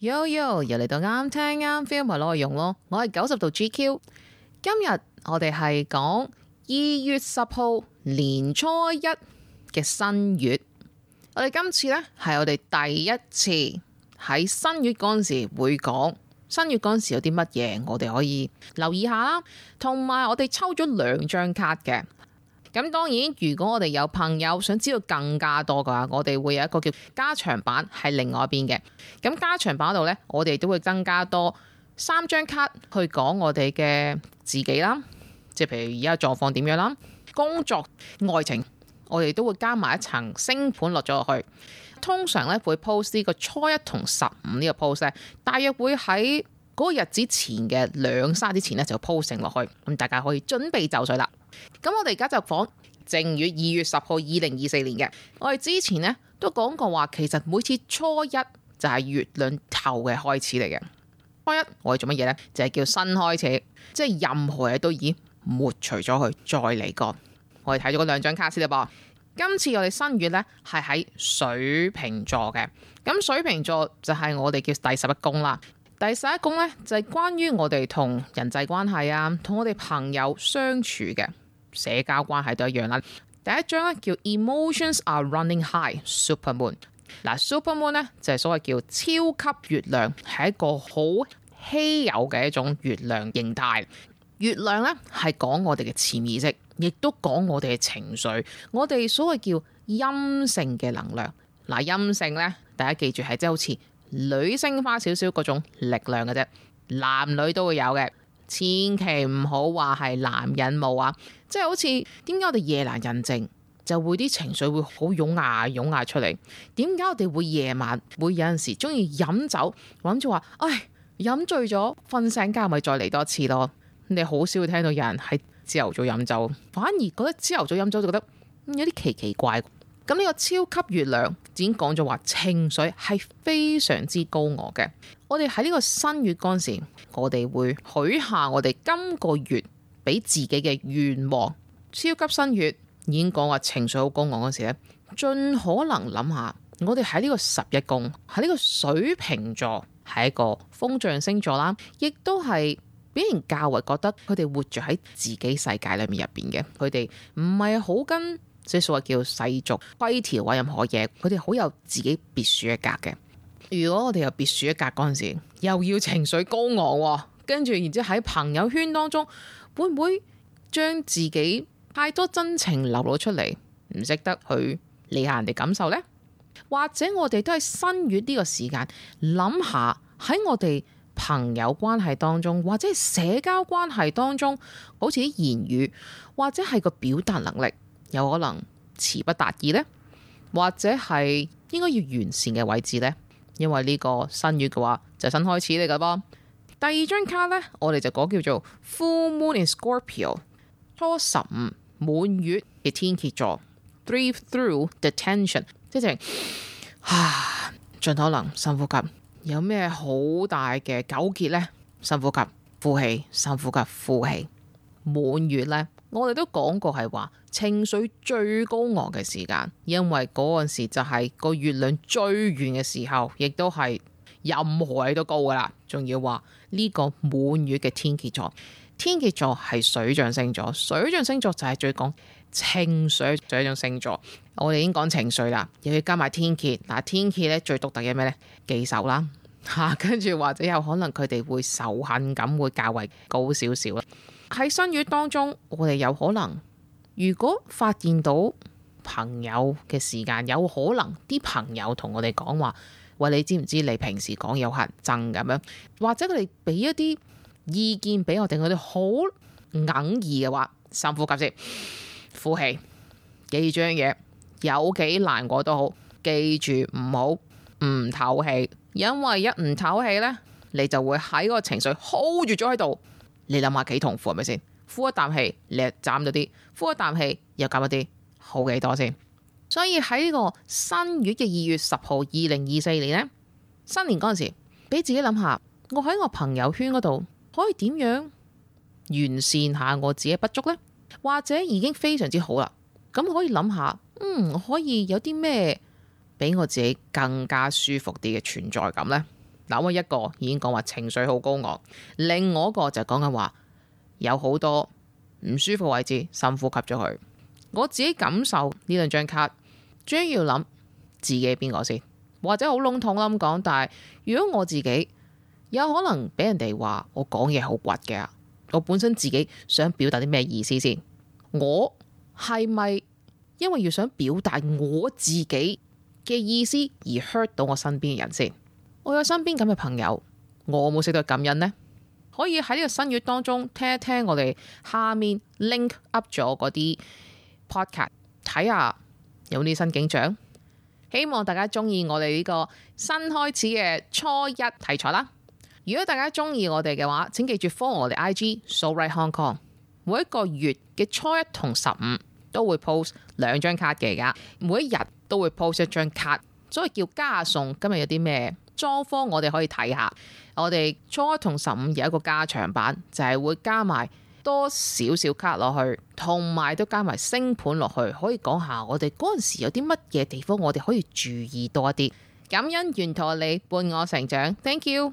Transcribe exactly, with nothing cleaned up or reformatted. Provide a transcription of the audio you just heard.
Yo yo，又嚟到啱聽啱 feel 咪內容咯。我係九十度 G Q， 今日我哋係講二月十號年初一嘅新月。我哋今次呢係我哋第一次喺新月嗰陣時會講新月嗰陣時有啲乜嘢，我哋可以留意下啦。同埋我哋抽咗兩張卡嘅。咁當然，如果我哋有朋友想知道更加多嘅話，我哋會有一個叫加長版係另外一邊嘅。咁加長版度呢，我哋都會增加多三張卡去講我哋嘅自己啦，即係譬如而家狀況點樣啦，工作、愛情，我哋都會加埋一層星盤落咗落去。通常呢，會 post 呢個初一同十五呢個 post 呢，大約會喺嗰個日子前嘅兩三日之前呢，就 post 成落去，咁大家可以準備就緒啦。咁我哋而家就講正月二月十號二零二四年嘅。我哋之前呢都講過話，其實每次初一就係月亮頭嘅開始嚟嘅。初一我哋做乜嘢呢？就係叫新開始，即係任何嘢都已經抹除咗佢，再嚟過。我哋睇咗嗰兩張卡先啦噃。今次我哋新月呢係喺水瓶座嘅。咁水瓶座就係我哋叫第十一宮啦。第十一宮呢就係關於我哋同人際關係啊，同我哋朋友相處嘅。社交關係都一樣啦。第一張咧叫 Emotions are running high Super Moon。嗱 Super Moon 咧就係所謂叫超級月亮，係一個好稀有嘅一種月亮形態。月亮咧係講我哋嘅潛意識，亦都講我哋嘅情緒，我哋所謂叫陰性嘅能量。嗱陰性咧，大家記住係即係好似女性化少少嗰種力量嘅啫，男女都會有嘅。千祈唔好話係男人冇啊，即係好似點解我哋夜闌人靜就會啲情緒會好湧壓湧壓出嚟？點解我哋會夜晚會有陣時中意飲酒，諗住話唉飲醉咗瞓醒覺咪再嚟多次咯？你好少會聽到有人喺朝頭早飲酒，反而覺得朝頭早飲酒就覺得有啲奇奇怪。咁呢個超級月亮已經講咗話，情緒係非常之高昂嘅。我哋喺呢個新月嗰陣時，我哋會許下我哋今個月俾自己嘅願望。超級新月已經講話情緒好高昂嗰時咧，盡可能諗下，我哋喺呢個十一宮，喺呢個水瓶座係一個風象星座啦，亦都係俾人較為覺得佢哋活住喺自己世界裏面入邊嘅，佢哋唔係好跟。即係所謂叫世俗規條或任何嘢，佢哋好有自己別樹一格嘅。如果我哋有別樹一格嗰陣時，又要情緒高昂，跟住然之後喺朋友圈當中，會唔會將自己太多真情流露出嚟，唔識得去理下人哋感受呢？或者我哋都喺新月呢個時間諗下喺我哋朋友關係當中，或者係社交關係當中，好似啲言語或者係個表達能力。有可能詞不達意呢，或者係應該要完善嘅位置呢？因為呢個新月嘅話就係新開始嚟噶噃。第二張卡呢，我哋就講叫做 Full Moon in Scorpio， 初十五滿月嘅天蠍座 ，Breathe through the tension， 即係啊，盡可能深呼吸。有咩好大嘅糾結呢？深呼吸，呼氣，深呼吸，呼氣。滿月呢，我哋都講過係話情緒最高昂嘅時間，因為嗰陣時就係個月亮最圓嘅時候，亦都係任何嘢都高噶啦。仲要話呢個滿月嘅天蠍座，天蠍座係水象星座，水象星座就係最講情緒嘅一種星座。我哋已經講情緒啦，又要加埋天蠍。嗱，天蠍咧最獨特嘅咩呢？記仇啦吓，跟住或者有可能佢哋會仇恨感會較為高少少啦。喺新月當中，我哋有可能如果發現到朋友嘅時間，有可能啲朋友同我哋講話，喂，你知唔知你平時講有人憎咁樣，或者佢哋俾一啲意見俾我哋，我哋好哽耳嘅話，深呼吸先，呼氣，記住樣嘢，有幾難過都好，記住唔好唔透氣，因為一唔透氣呢，你就會喺個情緒 hold 住咗喺度。你諗下幾痛苦係咪先？呼一啖氣，你又斬咗啲；呼一啖氣，又減咗啲，好幾多先？所以喺呢個新月嘅二月十號，二零二四年呢，新年嗰陣時，俾自己諗下，我喺我朋友圈嗰度可以點樣完善下我自己不足呢？或者已經非常之好啦，咁可以諗下，嗯，可以有啲咩俾我自己更加舒服啲嘅存在感呢？嗱，我一個已經講話情緒好高昂，另外一個就講緊話有好多唔舒服位置，深呼吸咗佢。我自己感受呢兩張卡，主要諗自己邊個先，或者好籠統咁講，但係如果我自己有可能俾人哋話我講嘢好倔嘅，我本身自己想表達啲咩意思先？我係咪因為要想表達我自己嘅意思而 hurt 到我身邊嘅人先？我有身邊咁嘅朋友，我冇識到感恩呢？可以喺呢個新月當中聽一聽我哋下面 link up 咗嗰啲 podcast， 睇下有啲新景象。希望大家中意我哋呢個新開始嘅初一題材啦。如果大家中意我哋嘅話，請記住 follow 我哋 I G So Right Hong Kong。每一個月嘅初一同十五都會 post 兩張卡嘅，而家每一日都會 post 一張卡，所以叫加送。今日有啲咩裝方我哋可以睇下。我哋初一同十五有一個加長版，就係、是、會加埋多少少卡落去，同埋都加埋星盤落去，可以講下我哋嗰陣時有啲乜嘢地方我哋可以注意多一啲。感恩沿途你伴我成長 ，thank you。